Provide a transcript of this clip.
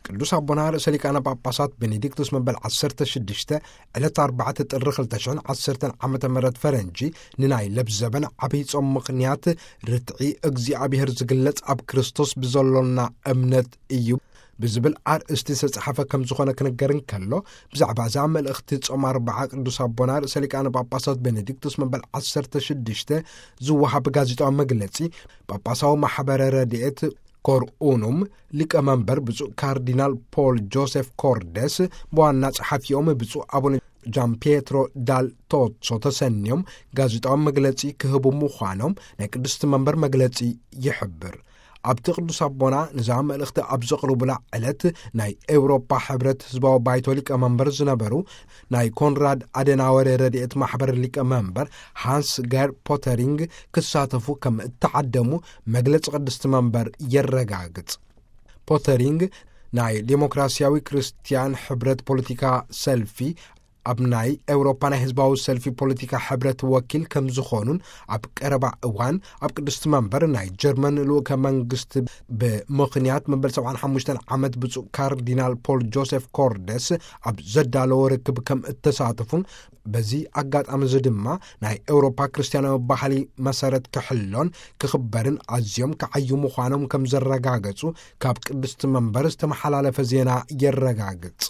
ቅዱስ ኣቦና ርእሰ ሊቃነ ጳጳሳት ቤኔዲክቱስ መበል ዓሰርተ ሽዱሽተ ዕለት ኣርባዕተ ጥሪ ክልተ ሽሕን ዓሰርተን ዓመተ ምህረት ፈረንጂ ንናይ ለብዘበን ዓብይ ጾም ምኽንያት ርትዒ እግዚኣብሔር ዝግለጽ ኣብ ክርስቶስ ብዘሎና እምነት እዩ ብዝብል ኣርእስቲ ዝተጻሕፈ ከም ዝኾነ ክንገር እንከሎ፣ ብዛዕባ እዛ መልእኽቲ ጾም ኣርባዓ ቅዱስ ኣቦና ርእሰ ሊቃነ ጳጳሳት ቤኔዲክቱስ መበል ዓሰርተ ሽዱሽተ ዝወሃብ ጋዜጣዊ መግለጺ፣ ጳጳሳዊ ማሕበረ ረድኤት ኮርኡኑም ሊቀ መንበር ብፁዕ ካርዲናል ፖል ጆሴፍ ኮርደስ፣ ብዋና ጸሓፊኦም ብፁዕ ኣቡነ ጃን ፒየትሮ ዳል ቶሶ ተሰንዮም ጋዜጣዊ መግለጺ ክህቡ ምዃኖም ናይ ቅድስቲ መንበር መግለጺ ይሕብር። ኣብቲ ቅዱስ ኣቦና ንዛ መልእኽቲ ኣብ ዘቕርቡላ ዕለት፣ ናይ ኤውሮፓ ሕብረት ህዝባዊ ባይቶ ሊቀ መንበር ዝነበሩ ናይ ኮንራድ ኣደናወር ረድኤት ማሕበር ሊቀ መንበር ሃንስ ገር ፖተሪንግ ክሳተፉ ከም እተዓደሙ መግለጺ ቅድስቲ መንበር የረጋግጽ። ፖተሪንግ ናይ ዴሞክራሲያዊ ክርስትያን ሕብረት ፖለቲካ ሰልፊ፣ ኣብ ናይ ኤውሮፓ ናይ ህዝባዊ ሰልፊ ፖለቲካ ሕብረት ወኪል ከም ዝኾኑን፣ ኣብ ቀረባ እዋን ኣብ ቅድስቲ መንበር ናይ ጀርመን ልኡከ መንግስቲ ብምኽንያት መበል ሰብዓን ሓሙሽተን ዓመት ብፁዕ ካርዲናል ፖል ጆሴፍ ኮርደስ ኣብ ዘዳለዎ ርክብ ከም እተሳተፉን፣ በዚ ኣጋጣሚ እዚ ድማ ናይ ኤውሮፓ ክርስትያናዊ ባህሊ መሰረት ክሕሎን ክኽበርን ኣዝዮም ክዓዩ ምዃኖም ከም ዘረጋገጹ ካብ ቅድስቲ መንበር ዝተመሓላለፈ ዜና የረጋግጽ።